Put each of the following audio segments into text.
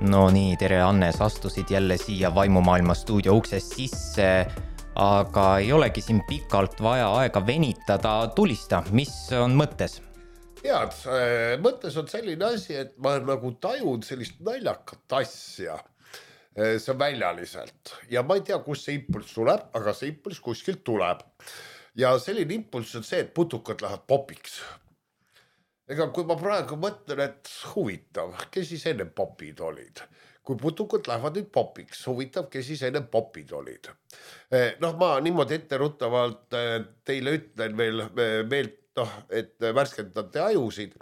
No nii, tere Annes, astusid jälle siia Vaimumaailma stuudio uksest sisse, aga ei olegi siin pikalt vaja aega venitada, tulista, mis on mõttes? Head, mõttes on selline asi, et ma nagu tajun sellist naljakat asja, see on väljaliselt ja ma ei tea, kus see impulss tuleb, aga see impulss kuskilt tuleb ja selline impulss on see, et putukad lähevad popiks. Ega kui ma praegu mõtlen, et huvitav, kes siis enne popid olid? Kui putukad lähevad nüüd popiks, huvitav, kes siis enne popid olid? Noh, ma niimoodi etteruttavalt teile ütlen veel, et värskendate ajusid,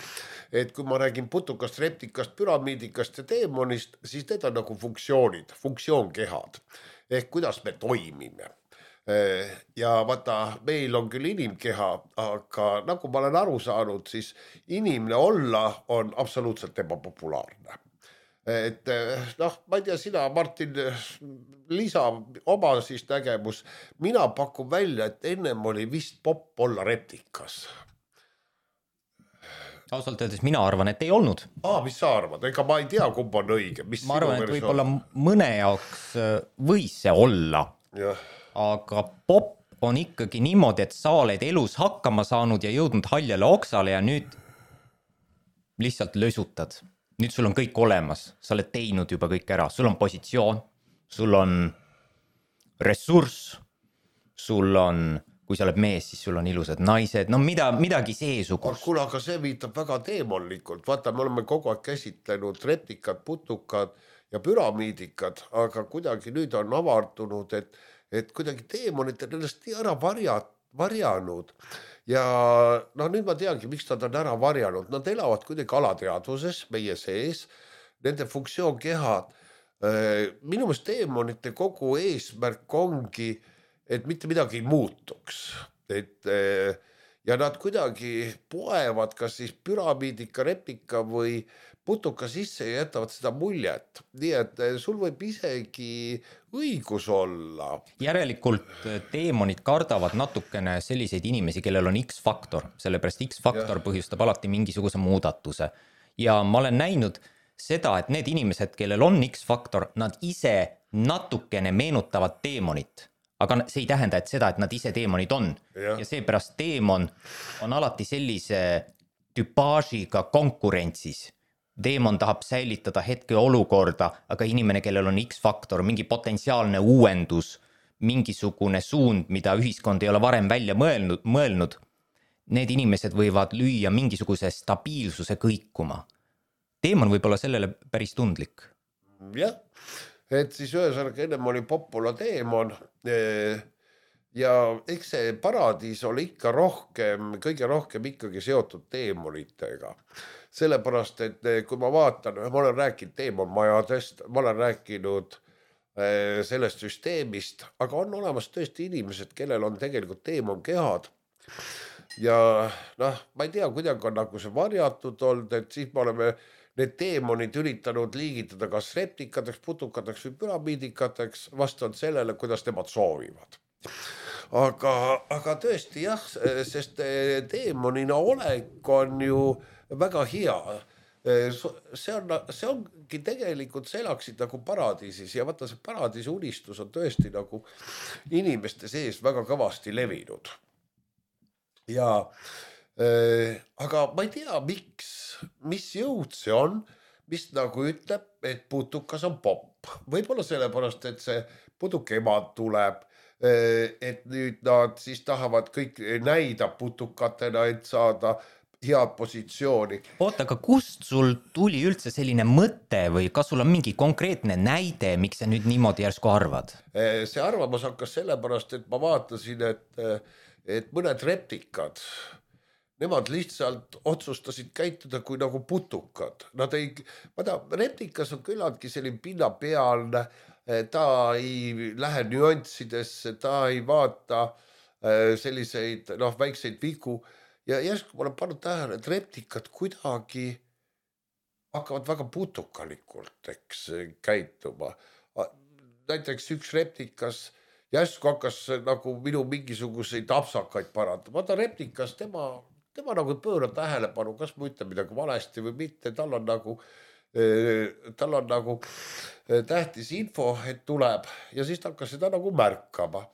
et kui ma räägin putukast, reptikast, püramiidikast ja teemonist, siis need on nagu funktsioonid, funktsioonkehad, ehk kuidas me toimime. Ja vaata, meil on küll inimkeha, aga nagu ma olen aru saanud, siis inimene olla on absoluutselt ebapopulaarne. Et noh, ma ei tea, sina, Martin, lisa oma siis nägemus. Mina pakun välja, et ennem oli vist popp olla reptikas. Ausalt öeldes mina arvan, et ei olnud. Mis sa arvad? Ega ma ei tea, kumb on õige. Ma arvan, et võib-olla mõne jaoks võis see olla. Ja. Aga popp on ikkagi niimoodi, et sa oled elus hakkama saanud ja jõudnud haljale oksale ja nüüd lihtsalt lösutad. Nüüd sul on kõik olemas, sa oled teinud juba kõik ära, sul on positsioon, sul on ressurss, sul on, kui sa oled mees, siis sul on ilusad naised, no midagi seesugust. Kuule, aga see viitab väga teemonlikult, vaata, me oleme kogu aeg käsitlenud reptikad, putukad ja püramiidikad, aga kuidagi nüüd on avardunud, et kuidagi teemonid on ennast nii ära varjanud. Ja no nüüd ma teangi, miks nad on ära varjanud. Nad elavad kuidagi alateadvuses meie sees, nende funktsioonkehad. Minu meelest teemonite kogu eesmärk ongi, et mitte midagi ei muutuks. Ja nad kuidagi poevad kas siis püramiidika, reptika või putuka sisse ja jätavad seda muljet. Nii et sul võib isegi õigus olla. Järelikult teemonid kardavad natukene selliseid inimesi, kellel on X-faktor, sellepärast X-faktor põhjustab alati mingisuguse muudatuse. Ja ma olen näinud seda, et need inimesed, kellel on X-faktor, nad ise natukene meenutavad teemonit. Aga see ei tähenda, et seda, et nad ise teemonid on. Ja seepärast teemon on alati sellise tüpaažiga konkurentsis. Teemon tahab säilitada hetke olukorda, aga inimene, kellel on X-faktor, mingi potentsiaalne uuendus, mingisugune suund, mida ühiskond ei ole varem välja mõelnud, need inimesed võivad lüüa mingisuguse stabiilsuse kõikuma. Teemon võib olla sellele päris tundlik. Jah, et siis ühesõnaga ennem oli popula teemon ja eks see paradiis oli ikka kõige rohkem ikkagi seotud teemonitega. Sellepärast, et kui ma vaatan, ma olen rääkinud teemonmajadest, ma olen rääkinud sellest süsteemist, aga on olemas tõesti inimesed, kellel on tegelikult teemonkehad. Ja noh, ma ei tea, kuidagi on nagu see varjatud olnud, et siis me oleme need teemonid üritanud liigitada kas reptikateks, putukateks või püramiidikateks vastavalt sellele, kuidas nemad soovivad. Aga tõesti jah, sest teemonina olek on ju väga hea. See ongi tegelikult, sa elaksid nagu paradiisis ja vaata see paradiisi unistus on tõesti nagu inimeste sees väga kõvasti levinud. Ja aga ma ei tea, mis jõud see on, mis nagu ütleb, et putukas on popp. Võib-olla sellepärast, et see putuke emad tuleb, et nüüd nad siis tahavad kõik näida putukatena, et saada head positsiooni. Oota, aga kust sul tuli üldse selline mõte või kas sul on mingi konkreetne näide, miks sa nüüd niimoodi järsku arvad? See arvamus hakkas sellepärast, et ma vaatasin, et mõned reptikad, nemad lihtsalt otsustasid käituda kui nagu putukad. Reptikas on küllaltki selline pinnapealne, ta ei lähe nüanssidesse, ta ei vaata selliseid väikseid vigu. Ja järsku ma olen pannud tähele, et reptikad kuidagi hakkavad väga putukalikult käituma. Näiteks üks reptikas järsku hakkas nagu minu mingisuguseid apsakaid parandama. Vaata reptikas, tema nagu pöörab tähelepanu, kas ma ütlen midagi valesti või mitte, tal on nagu tal on nagu tähtis info, et tuleb ja siis ta hakkas seda nagu märkama.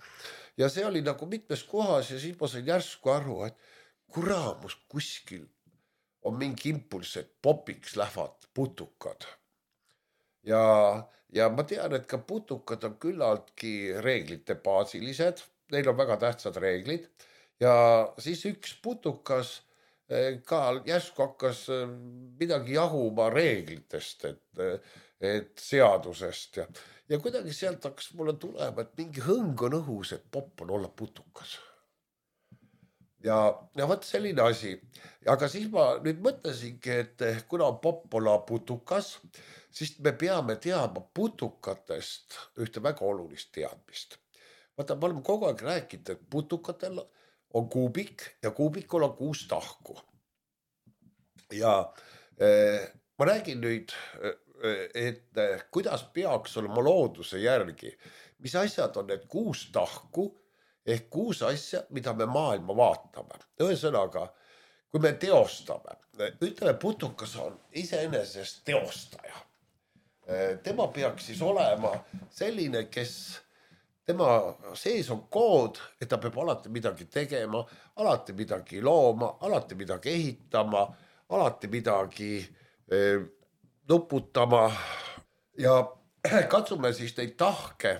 Ja see oli nagu mitmes kohas ja siis ma sain järsku aru, et kuramus kuskil on mingi impulss, et popiks lähevad putukad. Ja ma tean, et ka putukad on küllaltki reeglite baasilised, neil on väga tähtsad reeglid ja siis üks putukas ka järsku hakkas midagi jahuma reeglitest, et seadusest ja kuidagi sealt hakkas mulle tulema, et mingi hõng on õhus, et popp on olla putukas. Ja võt selline asi. Aga siis ma nüüd mõtlesingi, et kuna on popp olla putukas, siis me peame teadma putukatest ühte väga olulist teadmist. Vaata, me oleme kogu aeg rääkinud, et putukatel on kuubik ja kuubikul on 6 tahku. Ja ma räägin nüüd, et kuidas peaks olema looduse järgi, mis asjad on need 6 tahku ehk 6 asja, mida me maailma vaatame. Ühesõnaga, kui me teostame, ütleme putukas on iseenesest teostaja. Tema peaks siis olema selline, kes tema sees on kood, et ta peab alati midagi tegema, alati midagi looma, alati midagi ehitama, alati midagi nuputama ja katsume siis neid tahke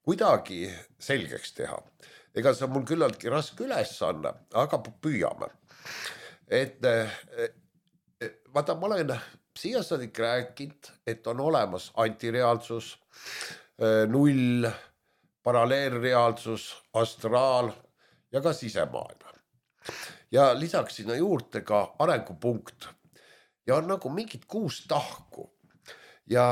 kuidagi selgeks teha. Ega see on mul küllaltki raske ülesanne, aga püüame. Et vaata, ma olen siia saadik rääkinud, et on olemas antireaalsus, null, paralleelreaalsus, astraal ja ka sisemaailm. Ja lisaks sinna juurde ka arengupunkt. Ja on nagu mingid 6 tahku. Ja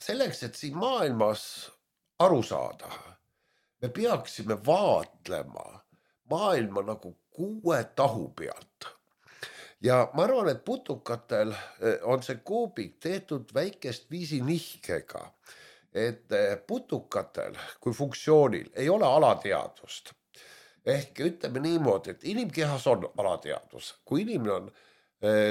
selleks, et siin maailmas aru saada, me peaksime vaatlema maailma nagu 6 tahu pealt. Ja ma arvan, et putukatel on see kuubik tehtud väikest viisi nihkega, et putukatel kui funktsioonil ei ole alateadvust. Ehk ütleme niimoodi, et inimkehas on alateadvus. Kui inimene on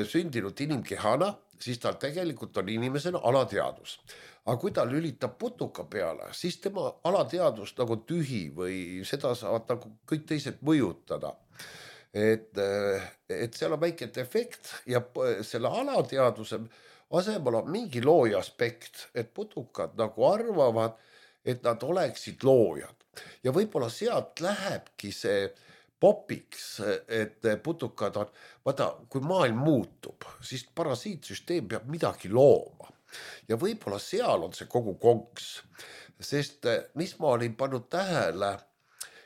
sündinud inimkehana, siis tal tegelikult on inimesena alateadvus. Aga kui ta lülitab putuka peale, siis tema alateadvus nagu tühi või seda saavad nagu kõik teised mõjutada. Et seal on väike efekt ja selle alateadvuse asemel on mingi looja aspekt, et putukad nagu arvavad, et nad oleksid loojad. Ja võib-olla sealt lähebki see popiks, et putukad on, vaata, kui maailm muutub, siis parasiitsüsteem peab midagi looma. Ja võib-olla seal on see kogu konks, sest mis ma olin pannud tähele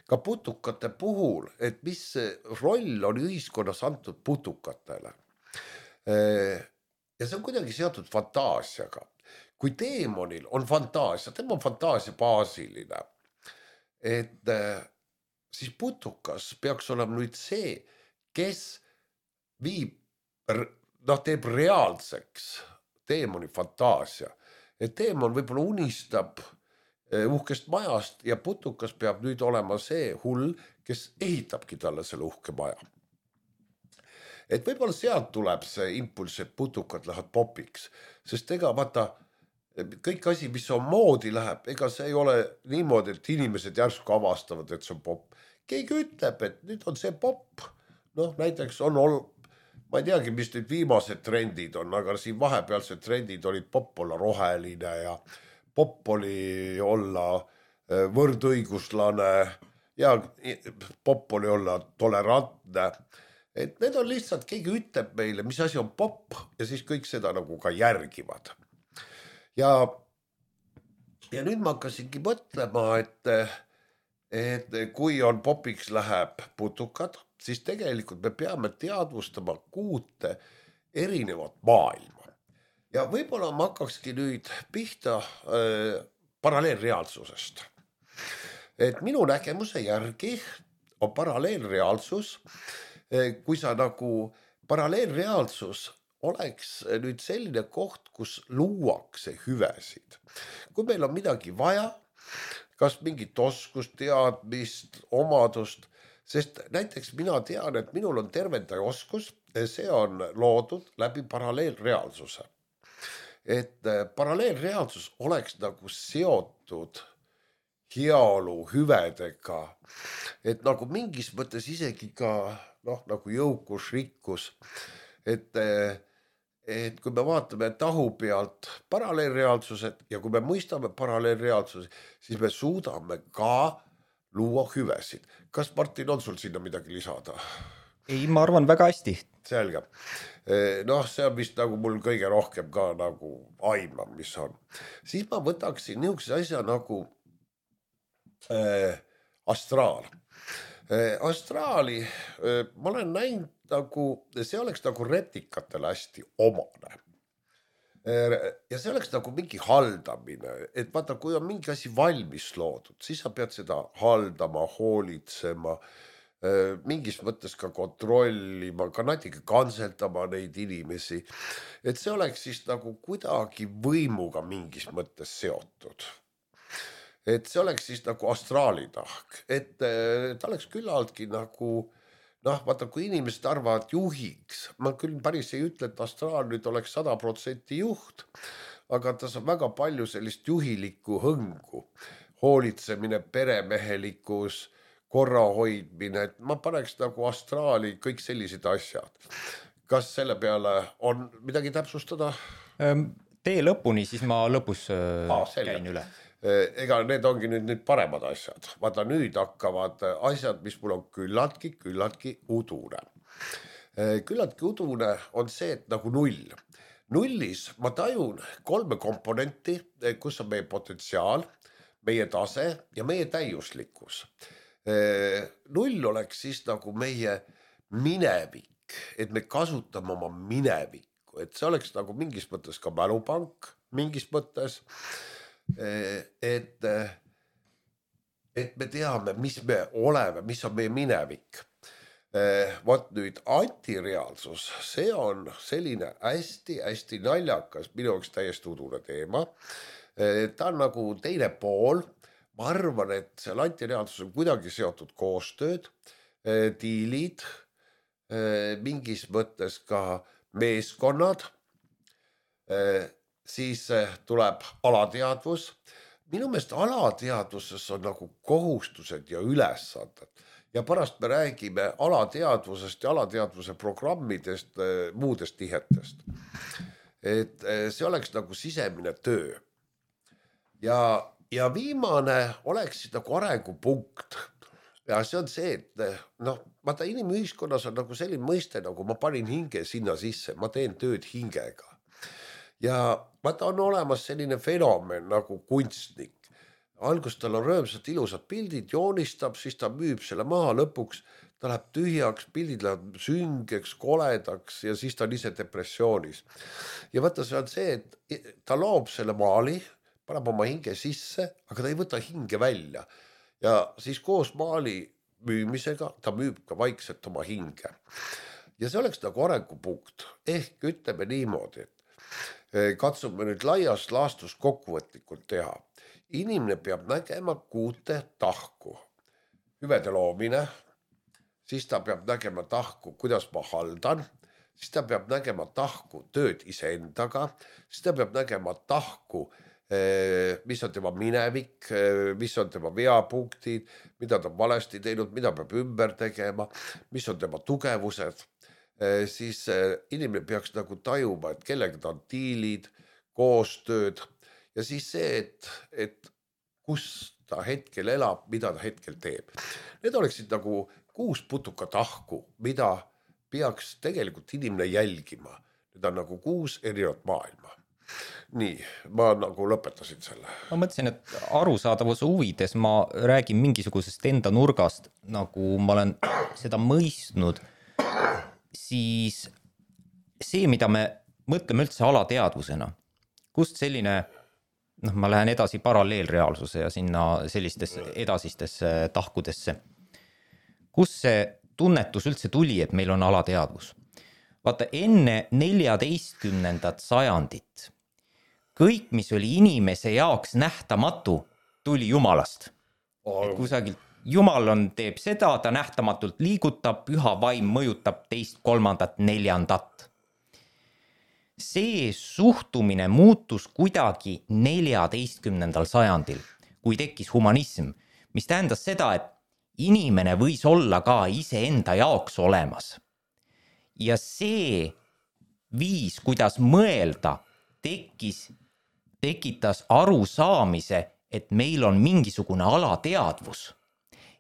ka putukate puhul, et mis roll on ühiskonnas antud putukatele. Ja see on kuidagi seotud fantaasiaga. Kui teemonil on fantaasia, tema on fantaasia baasiline, et siis putukas peaks olema nüüd see, kes teeb reaalseks teemoni fantaasia. Et teemon võib-olla unistab uhkest majast ja putukas peab nüüd olema see hull, kes ehitabki talle selle uhke maja. Et võib-olla sealt tuleb see impulss, et putukad lähevad popiks, sest ega vaata, kõik asi, mis on moodi läheb, ega see ei ole niimoodi, et inimesed järsku avastavad, et see on popp. Keegi ütleb, et nüüd on see popp. Näiteks on ma ei teagi, mis nüüd viimased trendid on, aga siin vahepealsed trendid olid popp olla roheline ja popp oli olla võrdõiguslane ja popp oli olla tolerantne. Et need on lihtsalt, keegi ütleb meile, mis asi on popp ja siis kõik seda nagu ka järgivad. Ja nüüd ma hakkasingi mõtlema, et kui on popiks läheb putukad, siis tegelikult me peame teadvustama 6 erinevat maailma. Ja võib-olla ma hakkakski nüüd pihta paralleelreaalsusest. Et minu nägemuse järgi on paralleelreaalsus, kui sa nagu paralleelreaalsus oleks nüüd selline koht, kus luuakse hüvesid. Kui meil on midagi vaja, kas mingit oskust, teadmist, omadust, sest näiteks mina tean, et minul on tervendaja oskus, see on loodud läbi paralleelreaalsuse. et paralleelreaalsus oleks nagu seotud heaolu hüvedega, et nagu mingis mõttes isegi ka nagu jõukus, rikkus, et kui me vaatame tahu pealt paralleelreaalsused ja kui me mõistame paralleelreaalsusi, siis me suudame ka luua hüvesid. Kas Martin on sul sinna midagi lisada? Ei, ma arvan väga hästi. Selge. See on vist nagu mul kõige rohkem ka nagu aimam, mis on. Siis ma võtaksin niisuguse asja nagu astraal. Astraali ma olen näinud nagu, see oleks nagu reptikatele hästi omane. Ja see oleks nagu mingi haldamine, et vaata, kui on mingi asi valmis loodud, siis sa pead seda haldama, hoolitsema, mingis mõttes ka kontrollima, ka natuke kantseldama neid inimesi, et see oleks siis nagu kuidagi võimuga mingis mõttes seotud. Et see oleks siis nagu astraalitahk, et ta oleks küllaltki nagu, vaata, kui inimesed arvavad juhiks, ma küll päris ei ütle, et astraal nüüd oleks 100% juht, aga tas on väga palju sellist juhilikku hõngu, hoolitsemine, peremehelikkus, korra hoidmine, et ma paneks nagu astraali kõik sellised asjad. Kas selle peale on midagi täpsustada? Tee lõpuni, siis ma lõpus käin üle. Ega need ongi nüüd paremad asjad. Vaata, nüüd hakkavad asjad, mis mul on küllaltki udune. Küllaltki udune on see, et nagu null. Nullis ma tajun 3 komponenti, kus on meie potentsiaal, meie tase ja meie täiuslikkus. Null oleks siis nagu meie minevik, et me kasutame oma minevikku, et see oleks nagu mingis mõttes ka mälupank, mingis mõttes, et me teame, mis me oleme, mis on meie minevik. Vot nüüd antireaalsus, see on selline hästi naljakas, minu jaoks täiesti udune teema. Ta on nagu teine pool. Ma arvan, et seal antireaalsus on kuidagi seotud koostööd, diilid, mingis mõttes ka meeskonnad, siis tuleb alateadvus. Minu meelest alateadvuses on nagu kohustused ja ülesanded ja pärast me räägime alateadvusest ja alateadvuse programmidest, muudest tihetest. Et see oleks nagu sisemine töö. Ja viimane oleks nagu arengupunkt. Ja see on see, et vaata, inimühiskonnas on nagu selline mõiste, nagu ma panin hinge sinna sisse, ma teen tööd hingega. Ja vaata, on olemas selline fenomen nagu kunstnik. Algus tal on rõõmsad ilusad pildid, joonistab, siis ta müüb selle maha, lõpuks ta läheb tühjaks, pildid läheb süngeks, koledaks ja siis ta on ise depressioonis. Ja vaata, see on see, et ta loob selle maali, paneb oma hinge sisse, aga ta ei võta hinge välja. Ja siis koos maali müümisega ta müüb ka vaikselt oma hinge. Ja see oleks nagu arengupunkt. Ehk ütleme niimoodi, et katsume nüüd laias laastus kokkuvõtlikult teha. Inimene peab nägema 6 tahku. Hüvede loomine, siis ta peab nägema tahku, kuidas ma haldan, siis ta peab nägema tahku tööd iseendaga, siis ta peab nägema tahku, mis on tema minevik, mis on tema veapunktid, mida ta on valesti teinud, mida peab ümber tegema, mis on tema tugevused. Siis inimene peaks nagu tajuma, et kellega ta on diilid, koostööd ja siis see, et kus ta hetkel elab, mida ta hetkel teeb. Need oleksid nagu 6 putuka tahku, mida peaks tegelikult inimene jälgima. Need on nagu 6 erinevat maailma. Nii, ma nagu lõpetasin selle. Ma mõtlesin, et arusaadavuse huvides ma räägin mingisugusest enda nurgast, nagu ma olen seda mõistnud, siis see, mida me mõtleme üldse alateadvusena, kust selline, ma lähen edasi paralleelreaalsuse ja sinna sellistesse edasistesse tahkudesse, kus see tunnetus üldse tuli, et meil on alateadvus. Vaata, enne 14. sajandit kõik, mis oli inimese jaoks nähtamatu, tuli Jumalast. Et kusagil Jumal teeb seda, ta nähtamatult liigutab, püha vaim mõjutab 2., 3., 4. see suhtumine muutus kuidagi 14. sajandil, kui tekkis humanism, mis tähendas seda, et inimene võis olla ka iseenda jaoks olemas. Ja see viis, kuidas mõelda, tekitas arusaamise, et meil on mingisugune alateadvus,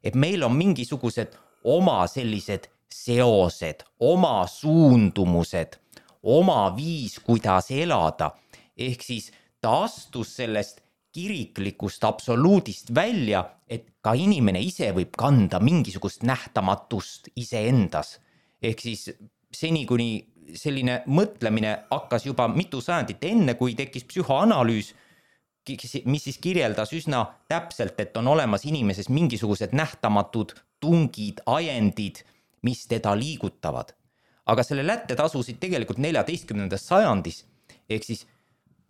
et meil on mingisugused oma sellised seosed, oma suundumused, oma viis, kuidas elada. Ehk siis ta astus sellest kiriklikust absoluudist välja, et ka inimene ise võib kanda mingisugust nähtamatust iseendas. Ehk siis seni, kuni selline mõtlemine hakkas juba mitu sajandit enne, kui tekkis psühhoanalüüs, mis siis kirjeldas üsna täpselt, et on olemas inimeses mingisugused nähtamatud tungid, ajendid, mis teda liigutavad. Aga selle lätte tasusid tegelikult 14. sajandis, ehk siis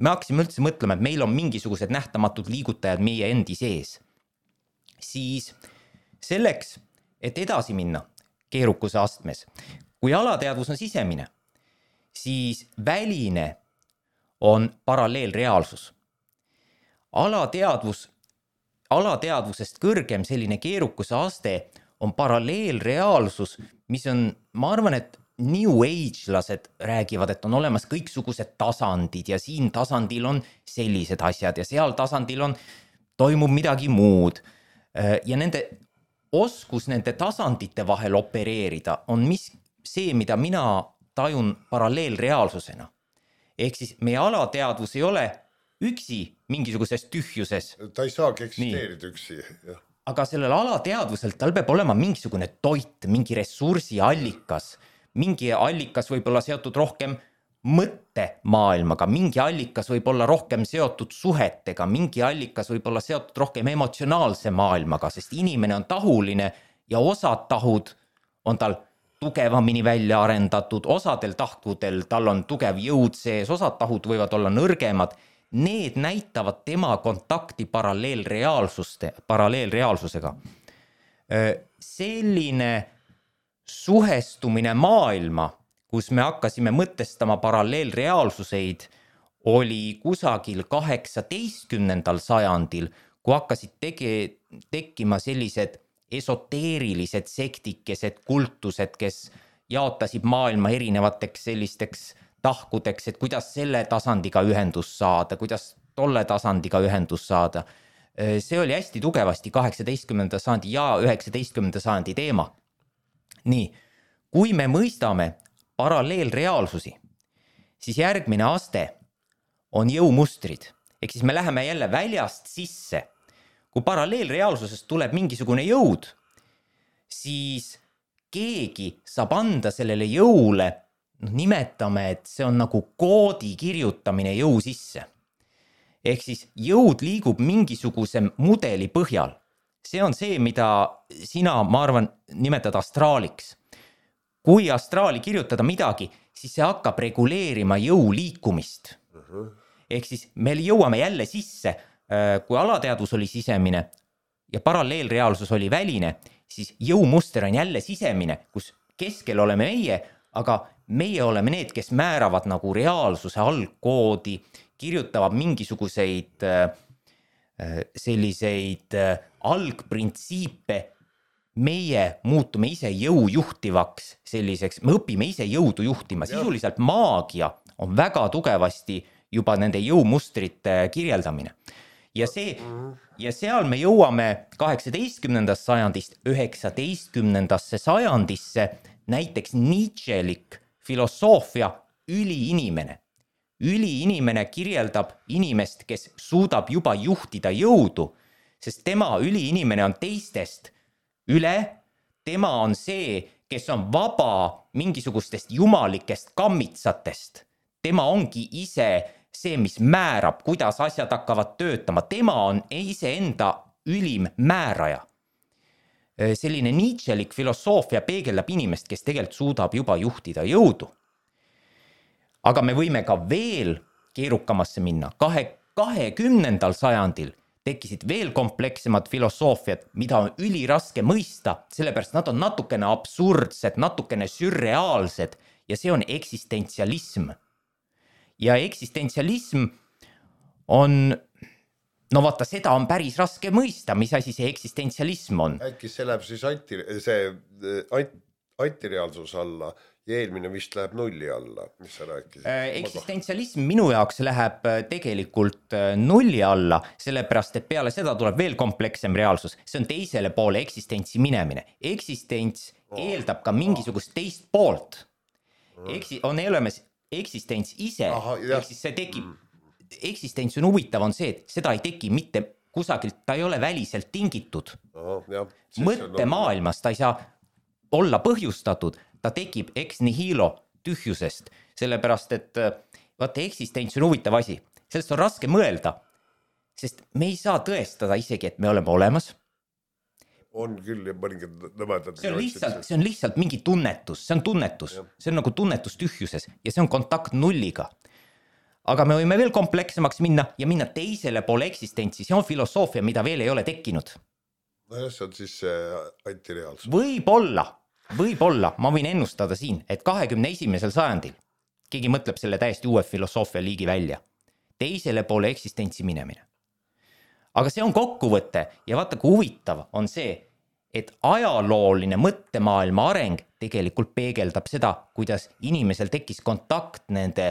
me hakkasime üldse mõtlema, et meil on mingisugused nähtamatud liigutajad meie endi sees. Siis selleks, et edasi minna keerukuse astmes, kui alateadvus on sisemine, siis väline on paralleelreaalsus. Alateadvusest kõrgem selline keerukuse aste on paralleelreaalsus, mis on, ma arvan, et New Age-lased räägivad, et on olemas kõiksugused tasandid ja siin tasandil on sellised asjad ja seal tasandil toimub midagi muud. Ja nende oskus nende tasandite vahel opereerida on see, mida mina tajun paralleelreaalsusena. Ehk siis meie alateadvus ei ole üksi mingisuguses tühjuses. Ta ei saagi eksisteerida üksi. Jah. Aga sellel alateadvusel tal peab olema mingisugune toit, mingi ressursi allikas. Mingi allikas võib olla seotud rohkem mõttemaailmaga, mingi allikas võib olla rohkem seotud suhetega, mingi allikas võib olla seotud rohkem emotsionaalse maailmaga, sest inimene on tahuline ja osad tahud on tal tugevamini välja arendatud, osadel tahkudel tal on tugev jõud sees, osad tahud võivad olla nõrgemad. Need näitavad tema kontakti paralleelreaalsusega. Selline suhestumine maailma, kus me hakkasime mõtestama paralleelreaalsuseid, oli kusagil 18. sajandil, kui hakkasid tekkima sellised esoteerilised sektikesed, kultused, kes jaotasid maailma erinevateks sellisteks tahkudeks, et kuidas selle tasandiga ühendus saada, kuidas tolle tasandiga ühendus saada. See oli hästi tugevasti 18. sajandi ja 19. sajandi teema. Nii, kui me mõistame paralleelreaalsusi, siis järgmine aste on jõumustrid. Ehk siis me läheme jälle väljast sisse. Kui paralleelreaalsusest tuleb mingisugune jõud, siis keegi saab anda sellele jõule, nimetame, et see on nagu koodi kirjutamine jõu sisse. Ehk siis jõud liigub mingisuguse mudeli põhjal. See on see, mida sina, ma arvan, nimetad astraaliks. Kui astraali kirjutada midagi, siis see hakkab reguleerima jõu liikumist. Ehk siis me jõuame jälle sisse, kui alateadvus oli sisemine ja paralleelreaalsus oli väline, siis jõumuster on jälle sisemine, kus keskel oleme meie, aga meie oleme need, kes määravad nagu reaalsuse algkoodi, kirjutavad mingisuguseid selliseid algprintsiipe. Meie muutume ise jõu juhtivaks selliseks, me õpime ise jõudu juhtima. Sisuliselt maagia on väga tugevasti juba nende jõumustrite kirjeldamine. Ja seal me jõuame 18. sajandist 19. sajandisse, näiteks Nietzschelik filosoofia üliinimene. Üliinimene kirjeldab inimest, kes suudab juba juhtida jõudu, sest tema üliinimene on teistest üle, tema on see, kes on vaba mingisugustest jumalikest kammitsatest. Tema ongi ise see, mis määrab, kuidas asjad hakkavad töötama. Tema on iseenda ülim määraja. Selline Nietzschelik filosoofia peegeldab inimest, kes tegelikult suudab juba juhtida jõudu. Aga me võime ka veel keerukamasse minna. 20. sajandil tekkisid veel komplekssemad filosoofiad, mida on üliraske mõista, sellepärast nad on natukene absurdsed, natukene sürreaalsed ja see on eksistentsialism. ja eksistentsialism on, no vaata, seda on päris raske mõista, mis asi see eksistentsialism on. Äkki see läheb siis antireaalsus alla ja eelmine vist läheb nulli alla, mis sa rääkisid? Eksistentsialism minu jaoks läheb tegelikult nulli alla, sellepärast et peale seda tuleb veel komplekssem reaalsus. See on teisele poole eksistentsi minemine. Eksistents eeldab ka mingisugust teist poolt. On olemas eksistents ise, ehk siis see tekib. Eksistents on huvitav, on see, et seda ei teki mitte kusagilt, ta ei ole väliselt tingitud. Mõttemaailmas ta ei saa olla põhjustatud, ta tekib ex nihilo tühjusest, sellepärast et vaata, eksistents on huvitav asi, sellest on raske mõelda, sest me ei saa tõestada isegi, et me oleme olemas. On küll ja mõningad nõmedad. See on lihtsalt mingi tunnetus, see on tunnetus, see on nagu tunnetus tühjuses ja see on kontakt nulliga. Aga me võime veel kompleksemaks minna ja minna teisele poole eksistentsi, see on filosoofia, mida veel ei ole tekkinud. No see on siis antireaalsus. Võib-olla, ma võin ennustada siin, et 21. sajandil keegi mõtleb selle täiesti uue filosoofia liigi välja. Teisele poole eksistentsi minemine. Aga see on kokkuvõte ja vaata, kui huvitav on see, et ajalooline mõttemaailma areng tegelikult peegeldab seda, kuidas inimesel tekkis kontakt nende,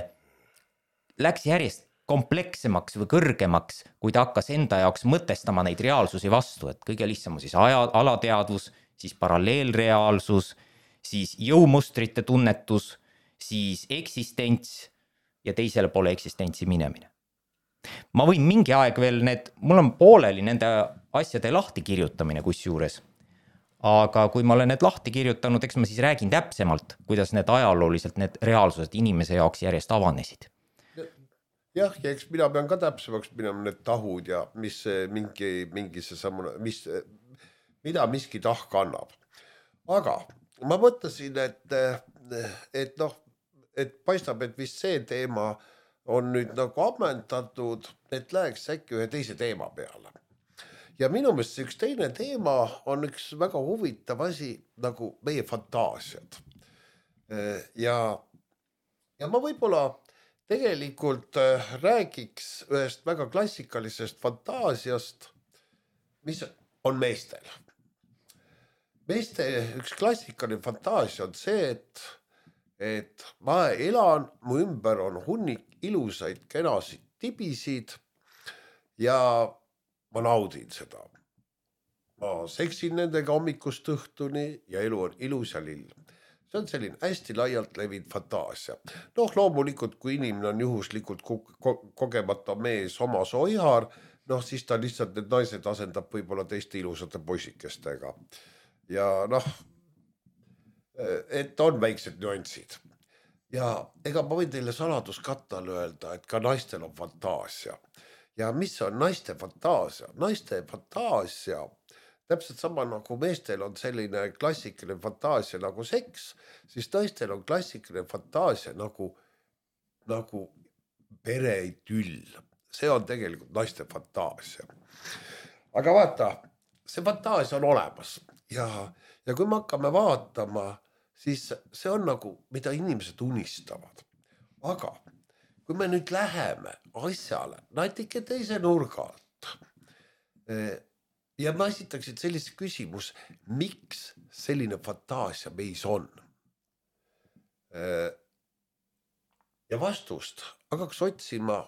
läks järjest komplekssemaks või kõrgemaks, kui ta hakkas enda jaoks mõtestama neid reaalsusi vastu, et kõige lihtsam on siis alateadvus, siis paralleelreaalsus, siis jõumustrite tunnetus, siis eksistents ja teisele poole eksistentsi minemine. Ma võin mingi aeg veel mul on pooleli nende asjade lahti kirjutamine kusjuures, aga kui ma olen need lahti kirjutanud, eks ma siis räägin täpsemalt, kuidas need ajalooliselt need reaalsused inimese jaoks järjest avanesid. Jah, ja eks mina pean ka täpsemaks minema need tahud ja mis mingi see sammune, mida miski tahk annab. Aga ma mõtlesin, et paistab, et vist see teema on nüüd nagu ammendatud, et läheks äkki ühe teise teema peale. Ja minu meelest üks teine teema on üks väga huvitav asi nagu meie fantaasiad. Ja ma võib-olla tegelikult räägiks ühest väga klassikalisest fantaasiast, mis on meestel. Meeste üks klassikaline fantaasia on see, et ma elan, mu ümber on hunnik ilusaid, kenasid tibisid ja ma naudin seda. Ma seksin nendega hommikust õhtuni ja elu on ilus ja lill. See on selline hästi laialt levinud fantaasia. Loomulikult, kui inimene on juhuslikult kogemata mees oma soihar, siis ta lihtsalt need naised asendab võib-olla teiste ilusate poisikestega. Ja et on väiksed nüansid. Ja ega ma võin teile saladuskattal öelda, et ka naistel on fantaasia. Ja mis on naiste fantaasia? Naiste fantaasia, täpselt sama nagu meestel on selline klassikaline fantaasia nagu seks, siis naistel on klassikaline fantaasia nagu pereidüll. See on tegelikult naiste fantaasia. Aga vaata, see fantaasia on olemas ja kui me hakkame vaatama, siis see on nagu, mida inimesed unistavad. Aga kui me nüüd läheme asjale natuke teise nurga alt ja ma esitaksin sellise küsimus, miks selline fantaasia meis on? Ja vastust hakkaks otsima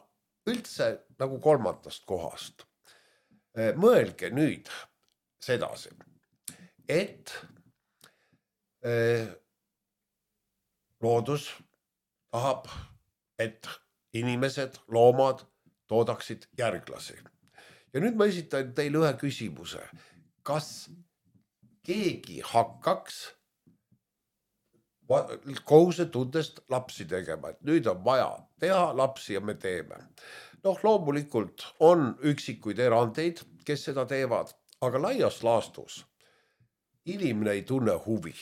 üldse nagu kolmandast kohast. Mõelge nüüd sedasi, et loodus tahab, et inimesed, loomad toodaksid järglasi. Ja nüüd ma esitan teile ühe küsimuse. Kas keegi hakkaks kohusetundest lapsi tegema, et nüüd on vaja teha lapsi ja me teeme? Loomulikult on üksikuid erandeid, kes seda teevad, aga laias laastus inimene ei tunne huvi.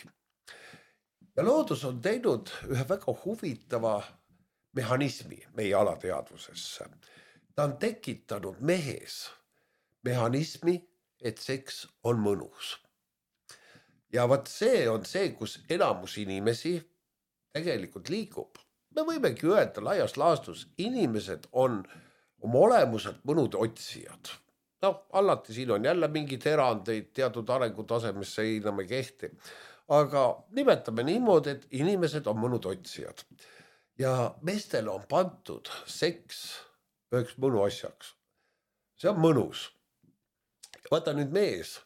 Ja loodus on teinud ühe väga huvitava mehhanismi meie alateadvusesse. Ta on tekitanud mehes mehhanismi, et seks on mõnus. Ja vaat see on see, kus enamus inimesi tegelikult liigub. me võimegi öelda laias laastus, inimesed on oma olemuselt mõnude otsijad. Noh, alati siin on jälle mingid erandeid, teatud arengutasemesse ei enam ei kehti. Aga nimetame niimoodi, et inimesed on mõnud otsijad. Ja meestele on pandud seks üheks mõnu asjaks. See on mõnus. Vaata nüüd mees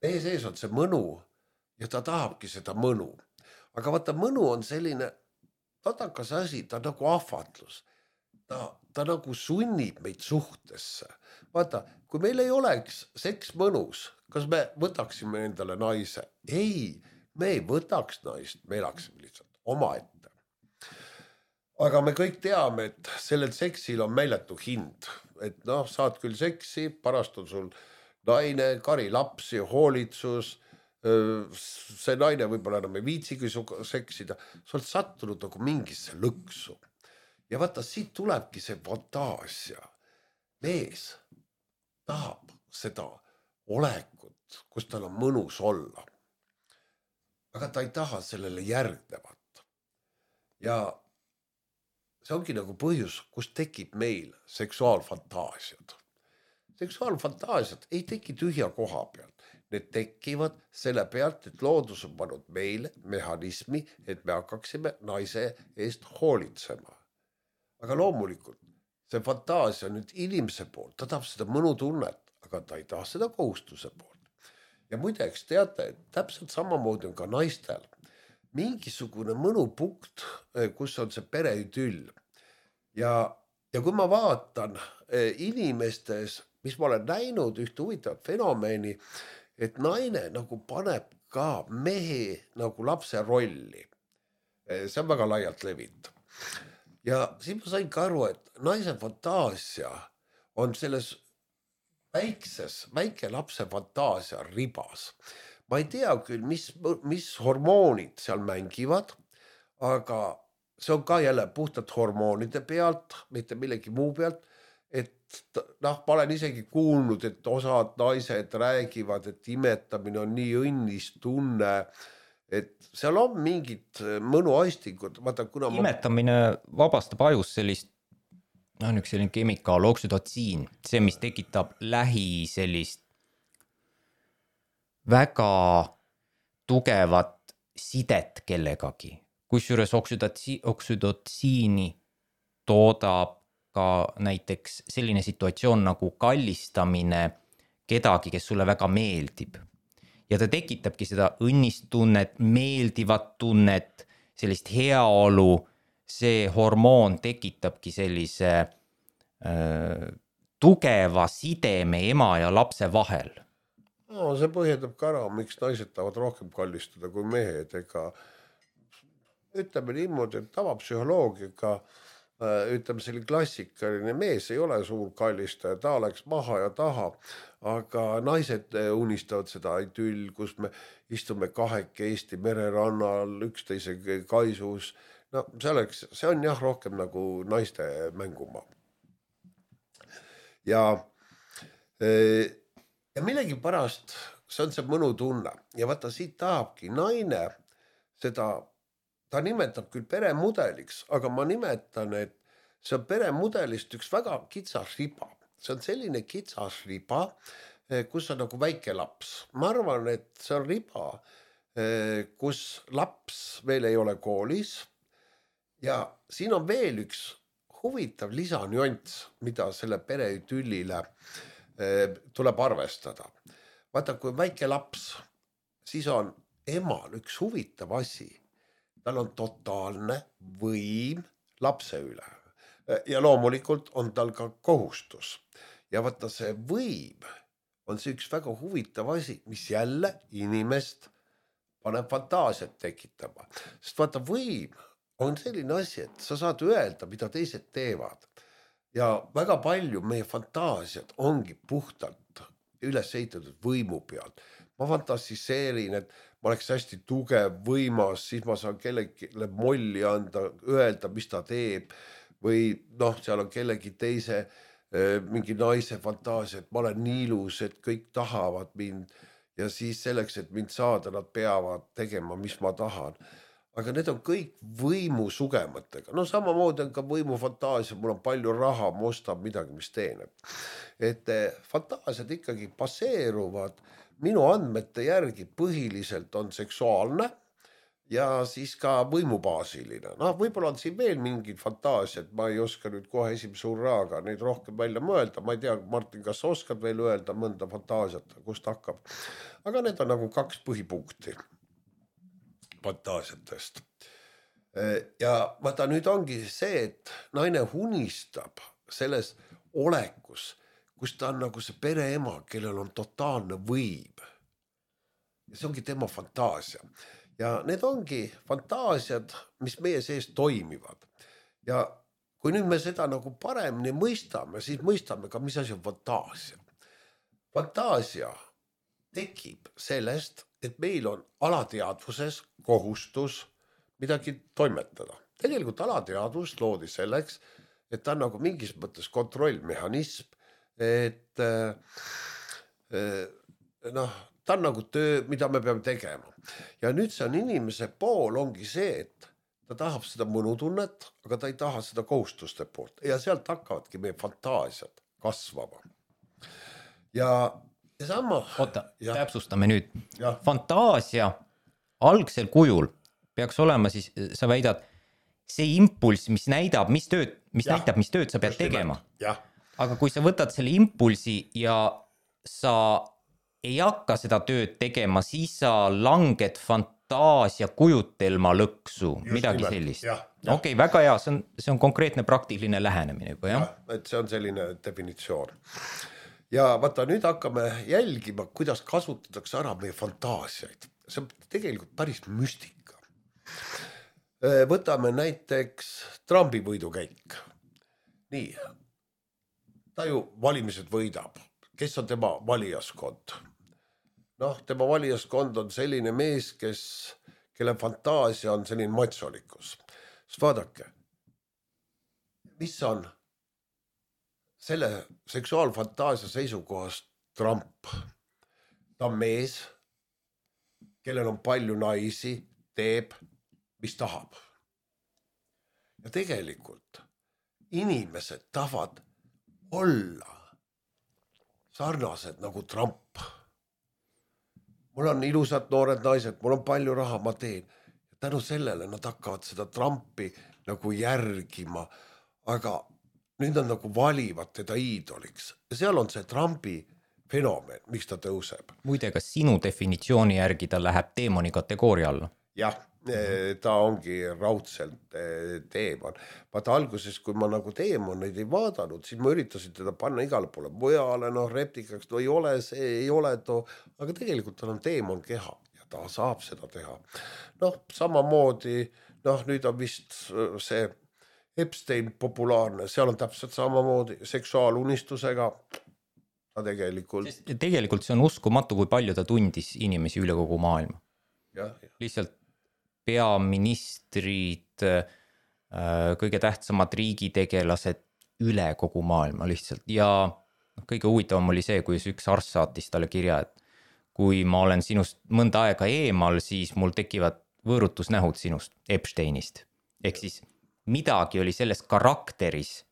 ees on see mõnu ja ta tahabki seda mõnu. Aga vaata, mõnu on selline tatakas asi, ta nagu ahvatlus. Ta nagu sunnib meid suhtesse. Vaata, kui meil ei oleks seks mõnus, kas me võtaksime endale naise? Ei, me ei võtaks naist, me elaksime lihtsalt omaette. Aga me kõik teame, et sellel seksil on meeletu hind. Et noh, saad küll seksi, parast on sul naine, kari lapsi, hoolitsus, see naine võib-olla enam ei viitsigi seksida, sa oled sattunud nagu mingisse lõksu. Ja vaata, siit tulebki see fantaasia. Mees tahab seda olekut, kus tal on mõnus olla. Aga ta ei taha sellele järgnevat. Ja see ongi nagu põhjus, kus tekib meil seksuaalfantaasiad. Seksuaalfantaasiad ei teki tühja koha pealt. Need tekivad selle pealt, et loodus on pannud meile mehhanismi, et me hakkaksime naise eest hoolitsema. Aga loomulikult, see fantaasia on nüüd inimese poolt, ta tahab seda mõnutunnet, aga ta ei taha seda kohustuse poolt. Ja muideks teate, et täpselt samamoodi on ka naistel mingisugune mõnupunkt, kus on see pereüdüll. Ja kui ma vaatan inimestes, mis ma olen näinud ühte huvitavat fenomeni, et naine nagu paneb ka mehe nagu lapse rolli. See on väga laialt levinud. Ja siis ma sain ka aru, et naise fantaasia on selles väike lapse fantaasia ribas. Ma ei tea küll, mis hormoonid seal mängivad, aga see on ka jälle puhtalt hormoonide pealt, mitte millegi muu pealt, et noh, ma olen isegi kuulnud, et osad naised räägivad, et imetamine on nii õnnis tunne, et seal on mingid mõnuaistingud. Imetamine vabastab ajus sellist, üks selline kemikaal, oksüdotsiin, see, mis tekitab lähi sellist väga tugevat sidet kellegagi. Kusjuures oksüdotsiini toodab ka näiteks selline situatsioon nagu kallistamine kedagi, kes sulle väga meeldib. Ja ta tekitabki seda õnnistunnet, meeldivat tunnet, sellist heaolu. See hormoon tekitabki sellise tugeva sideme ema ja lapse vahel. No, see põhjendab ka ära, miks naised tahavad rohkem kallistada kui mehed. Ega ütleme niimoodi, et tavapsühholoogiga, ütleme selline klassikaline mees ei ole suur kallistaja, ta oleks maha ja taha, aga naised unistavad seda idüll, kus me istume kahekesti mererannal, üksteise kaisus. No see on jah rohkem nagu naiste mängumaa. Ja millegipärast see on see mõnutunne. Ja vaata, siit tahabki naine seda, ta nimetab küll peremudeliks, aga ma nimetan, et see on peremudelist üks väga kitsas riba. See on selline kitsas riba, kus on nagu väike laps. Ma arvan, et see on riba, kus laps veel ei ole koolis. Ja siin on veel üks huvitav lisanüanss, mida selle pereüdüllile tuleb arvestada. Vaata, kui väike laps, siis on emal üks huvitav asi. Tal on totaalne võim lapse üle. Ja loomulikult on tal ka kohustus. Ja vaata, see võim on see üks väga huvitav asi, mis jälle inimest paneb fantaasiat tekitama. Sest vaata, võim on selline asi, et sa saad öelda, mida teised teevad. Ja väga palju meie fantaasiad ongi puhtalt üles ehitatud võimu pealt. Ma fantasiseerin, et ma oleks hästi tugev, võimas, siis ma saan kellelegi molli anda, öelda, mis ta teeb. Või noh, seal on kellegi teise mingi naise fantaasia, et ma olen nii ilus, et kõik tahavad mind. Ja siis selleks, et mind saada, nad peavad tegema, mis ma tahan. aga need on kõik võimusugematega. No samamoodi on ka võimufantaasia, mul on palju raha, ma ostan midagi, mis teeneb. Et fantaasiad ikkagi baseeruvad minu andmete järgi põhiliselt on seksuaalne ja siis ka võimubaasiline. Noh, võib-olla on siin veel mingid fantaasiad, ma ei oska nüüd kohe esimese hurraaga neid rohkem välja mõelda. Ma ei tea, Martin, kas sa oskad veel öelda mõnda fantaasiat, kust hakkab. Aga need on nagu 2 põhipunkti fantaasiatest. Ja vaata, nüüd ongi see, et naine unistab selles olekus, kus ta on nagu see pereema, kellel on totaalne võim. Ja see ongi tema fantaasia. Ja need ongi fantaasiad, mis meie sees toimivad. Ja kui nüüd me seda nagu paremini mõistame, siis mõistame ka, mis asi on fantaasia. Fantaasia tekib sellest, et meil on alateadvuses kohustus midagi toimetada. Tegelikult alateadvus loodi selleks, et ta on nagu mingis mõttes kontrollmehhanism, et ta on nagu töö, mida me peame tegema. Ja nüüd see on inimese pool ongi see, et ta tahab seda mõnutunnet, aga ta ei taha seda kohustuste poolt. Ja sealt hakkavadki meie fantaasiad kasvama. Ja sama... Oota, täpsustame nüüd. Ja. Fantaasia algsel kujul peaks olema siis, sa väidad, see impulss, mis näitab, mis tööd sa pead tegema. Ja. Aga kui sa võtad selle impulsi ja sa ei hakka seda tööd tegema, siis sa langed fantaasia kujutelma lõksu, midagi sellist. Okei, väga hea, see on konkreetne praktiline lähenemine juba, jah? Ja, et see on selline definitsioon. Ja vaata, nüüd hakkame jälgima, kuidas kasutatakse ära meie fantaasiaid. See on tegelikult päris müstika. Võtame näiteks Trumpi võidukäik. Nii, ta ju valimised võidab. Kes on tema valijaskond? Noh, tema valijaskond on selline mees, kelle fantaasia on selline matsolikkus. Siis vaadake, mis on selle seksuaalfantaasia seisukohast Trump? Ta on mees, kellel on palju naisi, teeb, mis tahab. Ja tegelikult inimesed tahavad olla sarnased nagu Trump. Mul on ilusad noored naised, mul on palju raha, ma teen. Ja tänu sellele nad hakkavad seda Trumpi nagu järgima, aga nüüd nad nagu valivad teda iidoliks. Ja seal on see Trumpi fenomen, miks ta tõuseb. Muide, kas sinu definitsiooni järgi ta läheb teemoni kategooria alla? Jah, ta ongi raudselt teemon. Vaata alguses, kui ma nagu teemoneid ei vaadanud, siis ma üritasin teda panna igale poole mujale, reptikaks, ei ole see, ei ole too, aga tegelikult tal on teemon keha ja ta saab seda teha. Samamoodi, nüüd on vist see Epstein populaarne, seal on täpselt samamoodi seksuaalunistusega ta tegelikult. Tegelikult see on uskumatu, kui palju ta tundis inimesi üle kogu maailma. Lihtsalt peaministrid, kõige tähtsamad riigitegelased üle kogu maailma lihtsalt. Ja kõige huvitavam oli see, kui üks arst saatis talle kirja, et kui ma olen sinust mõnda aega eemal, siis mul tekivad võõrutusnähud sinust, Epsteinist. Ehk siis midagi oli selles karakteris,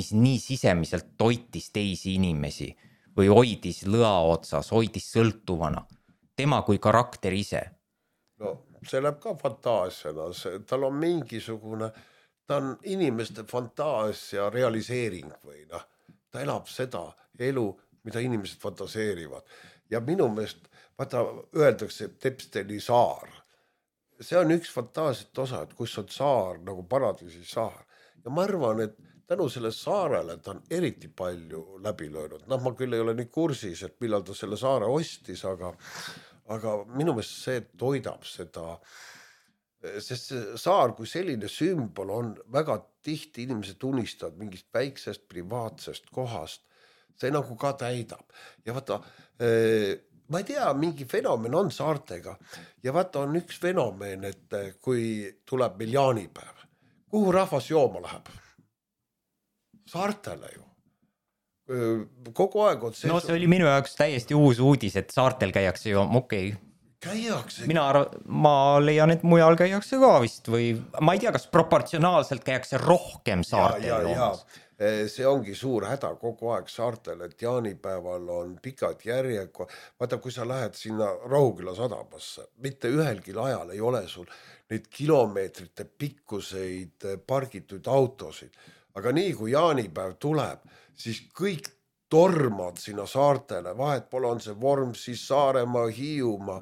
mis nii sisemiselt toitis teisi inimesi või hoidis lõa otsas, hoidis sõltuvana. Tema kui karakter ise. See läheb ka fantaasiana, tal on mingisugune, ta on inimeste fantaasia realiseering või ta elab seda elu, mida inimesed fantaseerivad. Ja minu meelest, vaata, öeldakse Epsteini saar. See on üks fantaasiat osa, et kus on saar, nagu paradiisi saar. Ja ma arvan, et tänu selle saarele ta on eriti palju läbi löönud. Ma küll ei ole nii kursis, et millal ta selle saare ostis, aga minu meelest see toidab seda, sest see saar kui selline sümbol on väga tihti inimesed unistavad mingist väiksest privaatsest kohast, see nagu ka täidab. Ja vaata, ma ei tea, mingi fenomen on saartega ja vaata on üks fenomen, et kui tuleb meil jaanipäev, kuhu rahvas jooma läheb? Saartele ju. Kogu aeg on see... see oli minu jaoks täiesti uus uudis, et saartel käiakse ju, okei. käiakse. ma leian, et mujal käiakse ka vist või ma ei tea, kas proportsionaalselt käiakse rohkem saartel joomas. See ongi suur häda kogu aeg saartel, et jaanipäeval on pikad järjekord. Vaata, kui sa lähed sinna Rohuküla sadamasse, mitte ühelgi ajal ei ole sul neid kilomeetrite pikkuseid pargitud autosid. Aga nii kui jaanipäev tuleb, siis kõik tormad sinna saartele, vahet pole, on see Vormsi, Saaremaa, Hiiumaa.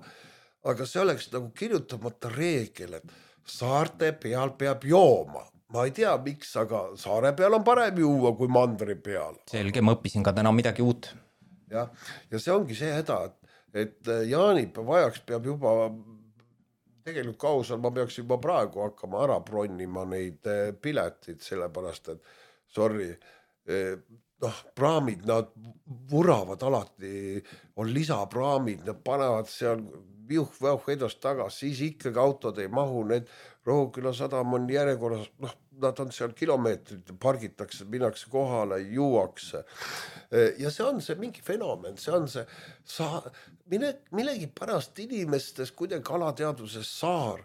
Aga see oleks nagu kirjutamata reegel, et saarte peal peab jooma. Ma ei tea, miks, aga saare peal on parem juua kui mandri peal. Selge, ma õppisin ka täna midagi uut. Ja see ongi see häda, et jaanipäev ajaks peab juba, tegelikult kausal ma peaks juba praegu hakkama ära bronnima neid piletid, sellepärast, et sorry, praamid, nad vuravad alati, on lisapraamid, nad panevad seal viuh-väuh edast tagas, siis ikkagi autod ei mahu, need Rohuküla sadam on järjekorras, nad on seal kilomeetrid, pargitakse, minnakse kohale, juuakse. Ja see on see mingi fenomen, see on see, millegi pärast inimestes kuidagi alateaduses saar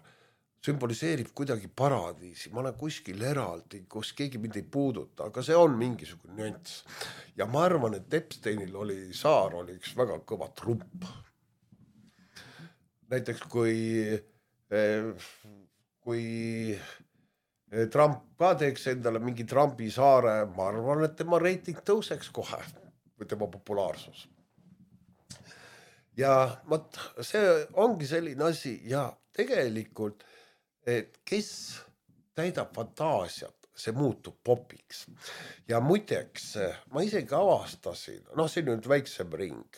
sümboliseerib kuidagi paradiisi. Ma olen kuskil eraldi, kus keegi mind ei puuduta, aga see on mingisugune nüanss. Ja ma arvan, et Epsteinil saar oli üks väga kõva trump. Näiteks kui Trump ka teeks endale mingi Trumpi saare, ma arvan, et tema reiting tõuseks kohe või tema populaarsus. Ja see ongi selline asi ja tegelikult, et kes täidab fantaasiat, see muutub popiks. Ja muideks, ma isegi avastasin, see on nüüd väiksem ring,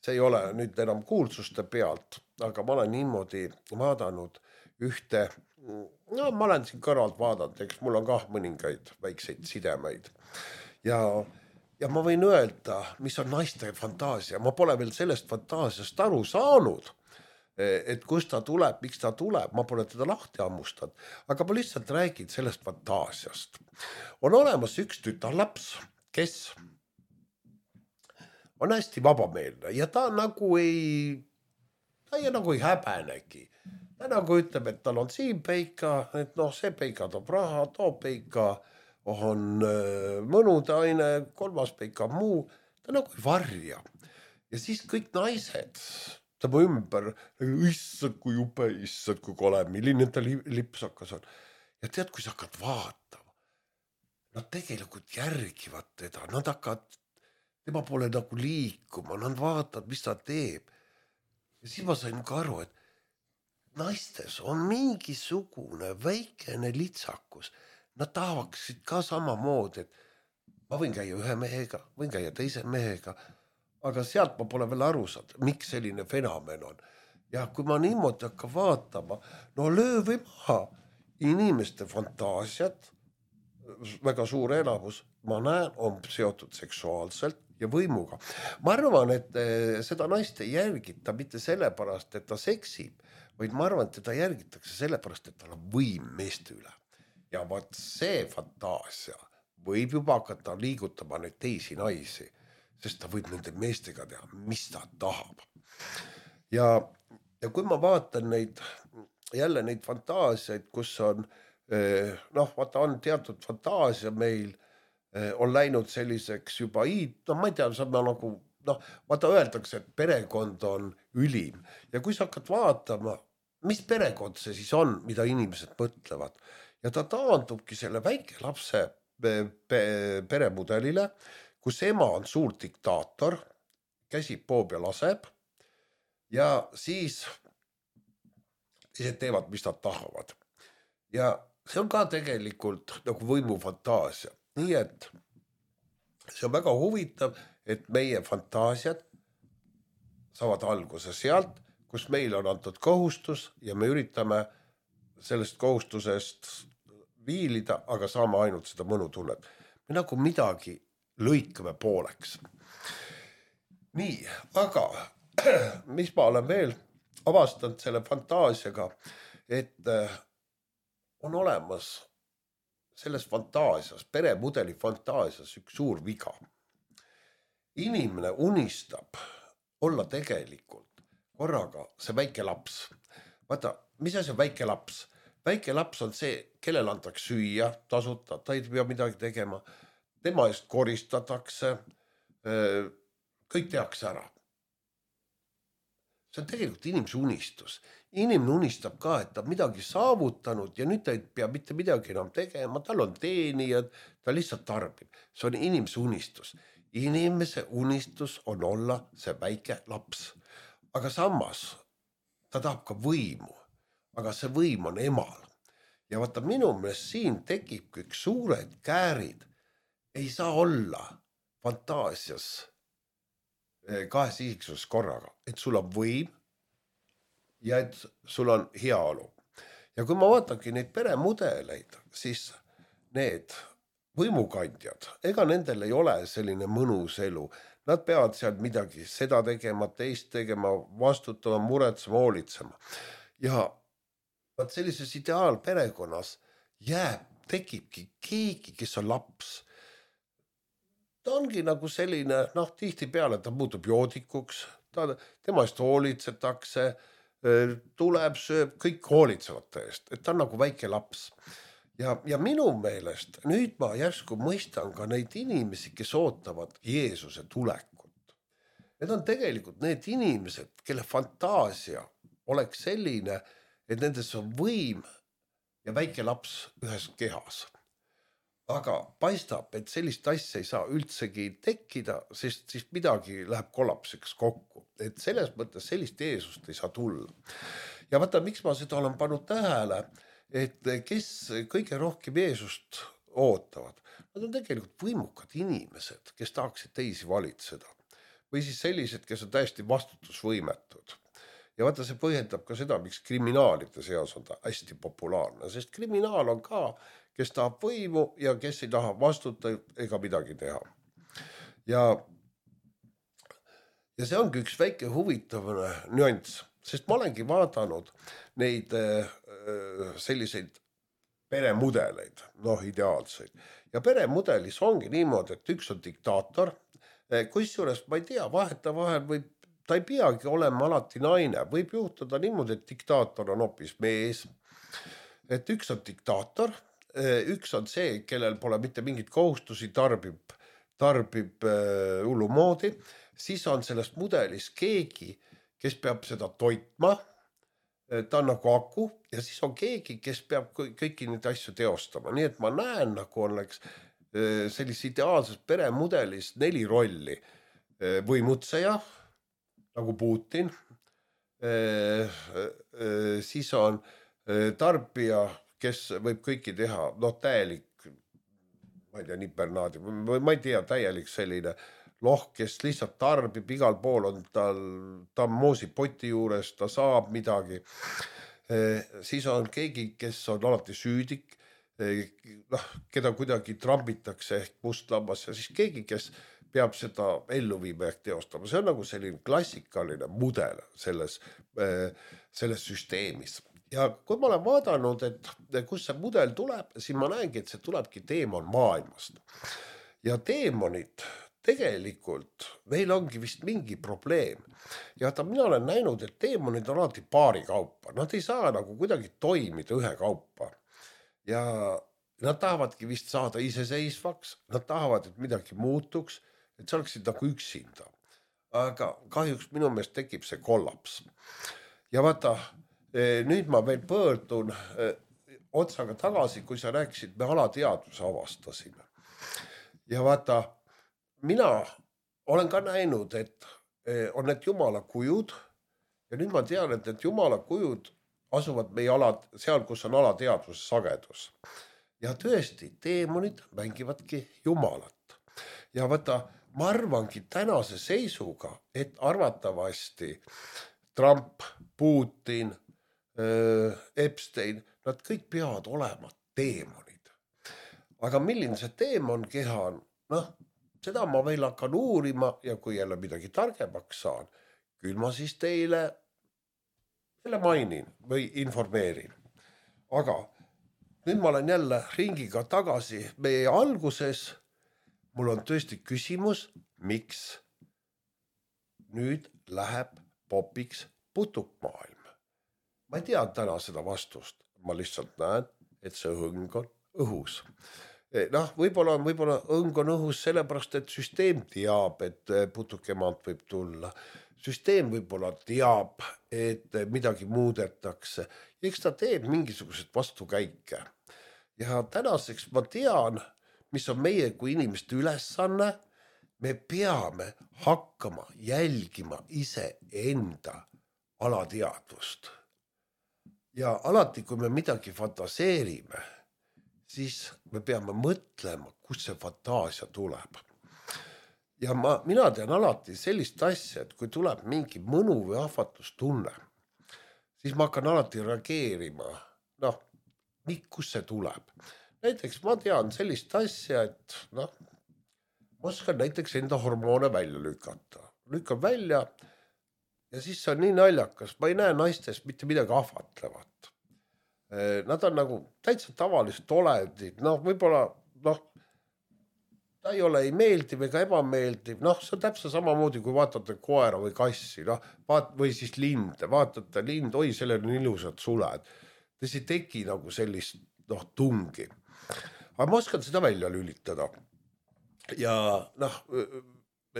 see ei ole nüüd enam kuulsuste pealt, aga ma olen niimoodi vaadanud ühte, ma olen siin kõrvalt vaadanud, eks mul on ka mõningaid väikseid sidemeid. Ja ma võin öelda, mis on naiste fantaasia. Ma pole veel sellest fantaasiast aru saanud, et kust ta tuleb, miks ta tuleb. Ma pole teda lahti hammustanud, aga ma lihtsalt räägin sellest fantaasiast. On olemas üks tütarlaps, kes on hästi vabameelne ja ta nagu ei häbenegi. Ta nagu ütleb, et tal on siin peika, et see peika toob raha, toob peika on mõnudaine, kolmas peika muu, ta nagu ei varja. Ja siis kõik naised tema ümber, issad kui jupe, issad kui kole, milline ta lipsakas on. Ja tead, kui sa hakkad vaatama, nad tegelikult järgivad teda, nad hakkavad tema poole nagu liikuma, nad vaatavad, mis ta teeb. Ja siis ma sain ka aru, et naistes on mingisugune väikene litsakus. Nad tahaksid ka samamoodi, et ma võin käia ühe mehega, võin käia teise mehega, aga sealt ma pole veel aru saanud, miks selline fenomen on. Ja kui ma niimoodi hakka vaatama, löö või maha inimeste fantaasiat, väga suur enamus, ma näen, on seotud seksuaalselt ja võimuga. Ma arvan, et seda naist ei järgita mitte sellepärast, et ta seksib, vaid ma arvan, et teda järgitakse sellepärast, et tal on võim meeste üle. Ja vaat see fantaasia võib juba hakata liigutama neid teisi naisi, sest ta võib nende meestega teha, mis ta tahab. Ja kui ma vaatan jälle neid fantaasiaid, kus on, vaata on teatud fantaasia meil, on läinud selliseks juba ma ei tea, see on nagu, vaata öeldakse, et perekond on ülim. Ja kui sa hakkad vaatama, mis perekond see siis on, mida inimesed mõtlevad. Ja ta taandubki selle väike lapse peremudelile, kus ema on suur diktaator, käsib poob ja laseb ja siis teevad, mis nad tahavad. Ja see on ka tegelikult nagu võimufantaasia. Nii et see on väga huvitav, et meie fantaasiad saavad alguse sealt, kus meil on antud kohustus ja me üritame sellest kohustusest viilida, aga saame ainult seda mõnutunnet. Me nagu midagi lõikame pooleks. Nii, aga mis ma olen veel avastanud selle fantaasiaga, et on olemas selles fantaasias, peremudeli fantaasias üks suur viga. Inimene unistab olla tegelikult korraga see väike laps. Vaata, mis asi on väike laps? Väike laps on see, kellel antakse süüa tasuta, ta ei pea midagi tegema. Tema eest koristatakse, kõik tehakse ära. See on tegelikult inimese unistus. Inimene unistab ka, et ta midagi saavutanud ja nüüd ta ei pea mitte midagi enam tegema, tal on teenijad, ta lihtsalt tarbib. See on inimese unistus. Inimese unistus on olla see väike laps. Aga samas ta tahab ka võimu, aga see võim on emal. Ja vaata, minu meelest siin tekib kõik suured käärid. Ei saa olla fantaasias kahes isiksuses korraga, et sul on võim ja et sul on heaolu. Ja kui ma vaatangi neid peremudeleid, siis need võimukandjad, ega nendel ei ole selline mõnus elu. Nad peavad seal midagi seda tegema, teist tegema, vastutama, muretsema, hoolitsema. Ja vaat sellises ideaalperekonnas tekibki keegi, kes on laps. Ta ongi nagu selline, tihti peale ta muutub joodikuks, tema eest hoolitsetakse, tuleb, sööb, kõik hoolitsevad ta eest, et ta on nagu väike laps. Ja minu meelest nüüd ma järsku mõistan ka neid inimesi, kes ootavad Jeesuse tulekut. Need on tegelikult need inimesed, kelle fantaasia oleks selline, et nendes on võim ja väike laps ühes kehas. Aga paistab, et sellist asja ei saa üldsegi tekkida, sest siis midagi läheb kollapsiks kokku. Et selles mõttes sellist Jeesust ei saa tulla. Ja vaata, miks ma seda olen pannud tähele, et kes kõige rohkem Jeesust ootavad. Nad on tegelikult võimukad inimesed, kes tahaksid teisi valitseda. Või siis sellised, kes on täiesti vastutusvõimetud. Ja vaata, see põhjendab ka seda, miks kriminaalide seas on ta hästi populaarne, sest kriminaal on ka, kes tahab võimu ja kes ei taha vastuta ega midagi teha. Ja see ongi üks väike huvitav nüanss, sest ma olengi vaadanud neid selliseid peremudeleid, ideaalseid. Ja peremudelis ongi niimoodi, et üks on diktaator, kusjuures ma ei tea, vahetavahel võib, ta ei peagi olema alati naine, võib juhtuda niimoodi, et diktaator on hoopis mees, et üks on diktaator, üks on see, kellel pole mitte mingit kohustusi, tarbib hullumoodi, siis on sellest mudelis keegi, kes peab seda toitma, ta on nagu aku ja siis on keegi, kes peab kõiki neid asju teostama. Nii et ma näen, nagu oleks sellises ideaalses peremudelis 4 rolli. Võimutseja, nagu Putin, siis on tarbija, kes võib kõiki teha, täielik, ma ei tea, nipernaadi, ma ei tea, täielik selline kes lihtsalt tarbib, igal pool on ta moosib poti juures, ta saab midagi. Siis on keegi, kes on alati süüdik, keda kuidagi trambitakse ehk mustlammas ja siis keegi, kes peab seda ellu viima ehk teostama. See on nagu selline klassikaline mudel selles süsteemis. Ja kui ma olen vaadanud, et kus see mudel tuleb, siis ma näengi, et see tulebki teemon maailmast. Ja teemonid tegelikult, neil ongi vist mingi probleem. Ja mina olen näinud, et teemonid on alati paari kaupa. Nad ei saa nagu kuidagi toimida ühe kaupa. Ja nad tahavadki vist saada iseseisvaks, nad tahavad, et midagi muutuks, et see oleksid nagu üksinda. Aga kahjuks minu meelest tekib see kollaps. Ja vaata, nüüd ma veel pöördun otsaga tagasi, kui sa rääkisid, me alateadvuse avastasime. Ja vaata, mina olen ka näinud, et on need jumala kujud ja nüüd ma tean, et need jumala kujud asuvad meie seal, kus on alateadvuse sagedus. Ja tõesti, teemonid mängivadki jumalat. Ja vaata, ma arvangi tänase seisuga, et arvatavasti Trump, Putin, Epstein, nad kõik peavad olema teemonid. Aga milline see teemon keha on? Seda ma veel hakkan uurima ja kui jälle midagi targemaks saan, küll ma siis teile selle mainin või informeerin. Aga nüüd ma olen jälle ringiga tagasi meie alguses. Mul on tõesti küsimus, miks nüüd läheb popiks putukmaailm. Ma ei tea täna seda vastust, ma lihtsalt näen, et see õng on õhus. Noh, võib-olla õng on õhus sellepärast, et süsteem teab, et putukemaalt võib tulla. Süsteem võib-olla teab, et midagi muudetakse. Eks ta teeb mingisugused vastukäike. Ja tänaseks ma tean, mis on meie kui inimeste ülesanne. Me peame hakkama jälgima iseenda alateadvust. Ja alati, kui me midagi fantaseerime, siis me peame mõtlema, kus see fantaasia tuleb. Ja mina tean alati sellist asja, et kui tuleb mingi mõnu või ahvatlustunne, siis ma hakkan alati reageerima, kus see tuleb. Näiteks ma tean sellist asja, et ma oskan näiteks enda hormoone välja lükata. Lükkan välja ja siis see on nii naljakas, ma ei näe naistest mitte midagi ahvatlevat. Nad on nagu täitsa tavalist olendid, võib-olla, ta ei ole ei meeldiv ega ebameeldiv, see on täpselt samamoodi, kui vaatate koera või kassi, või siis linde, vaatate lind, oi, sellel on ilusad suled. Te ei teki nagu sellist tungi. Aga ma oskan seda välja lülitada. Ja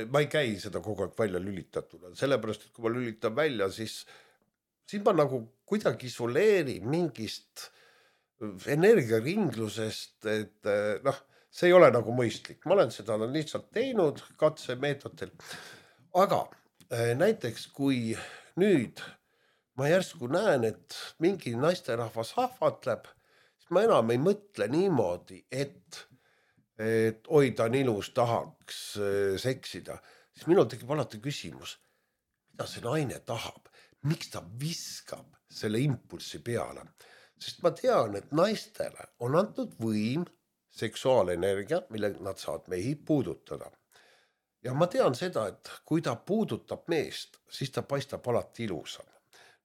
ma ei käi seda kogu aeg välja lülitatuna, sellepärast, et kui ma lülitan välja, siis ma nagu kuidagi isoleerin mingist energiaringlusest, et see ei ole nagu mõistlik. Ma olen seda lihtsalt teinud katsemeetodil. Aga näiteks, kui nüüd ma järsku näen, et mingi naisterahvas ahvatleb, siis ma enam ei mõtle niimoodi, et oi, ta on ilus, tahaks seksida. Siis minul tekib alati küsimus, mida see naine tahab? Miks ta viskab selle impulsi peale? Sest ma tean, et naistele on antud võim, seksuaalenergia, mille nad saavad mehi puudutada. Ja ma tean seda, et kui ta puudutab meest, siis ta paistab alati ilusam.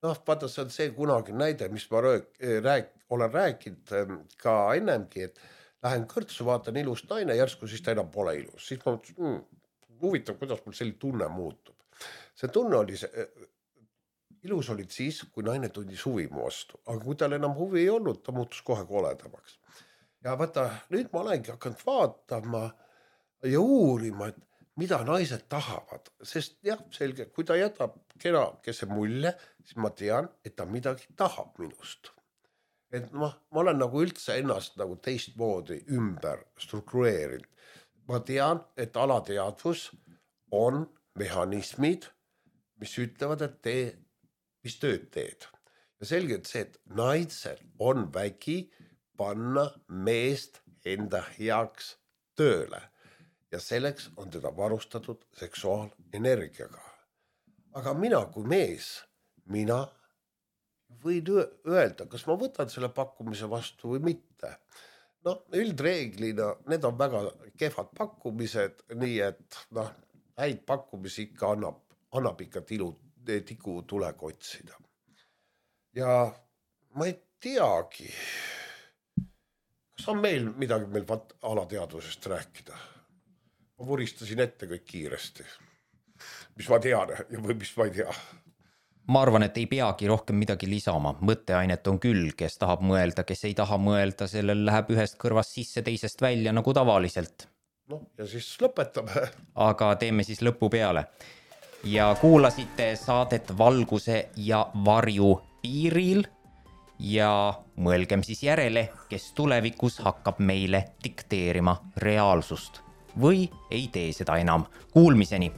Vaata, see on see kunagi näide, mis ma olen rääkinud ka ennemgi, et lähen kõrtsu, vaatan ilus naine, järsku siis ta enam pole ilus. Siis ma mõtlesin, huvitav, kuidas mul selline tunne muutub. See tunne oli ilus olid siis, kui naine tundis huvi mu vastu. Aga kui tal enam huvi ei olnud, ta muutus kohe koledamaks. Ja vaata, nüüd ma olengi hakanud vaatama ja uurima, et mida naised tahavad. Sest jah, selge, kui ta jätab kenakese mulje, siis ma tean, et ta midagi tahab minust. Et ma olen nagu üldse ennast nagu teistmoodi ümber struktureerinud. Ma tean, et alateadvus on mehhanismid, mis ütlevad, et mis tööd teed. Ja selgelt see, et naisel on vägi panna meest enda heaks tööle. Ja selleks on teda varustatud seksuaalenergiaga. Aga mina kui mees, mina võin öelda, kas ma võtan selle pakkumise vastu või mitte. Üldreeglina need on väga kehvad pakkumised, nii et häid pakkumisi ikka annab ikka tiku tulega otsida. Ja ma ei teagi, kas on meil midagi alateadvusest rääkida. Ma vuristasin ette kõik kiiresti, mis ma tean või mis ma ei tea. Ma arvan, et ei peagi rohkem midagi lisama. Mõtteainet on küll, kes tahab mõelda, kes ei taha mõelda, sellel läheb ühest kõrvast sisse, teisest välja nagu tavaliselt. Ja siis lõpetame. Aga teeme siis lõpu peale. Ja kuulasite saadet Valguse ja varju piiril ja mõelgem siis järele, kes tulevikus hakkab meile dikteerima reaalsust või ei tee seda enam. Kuulmiseni!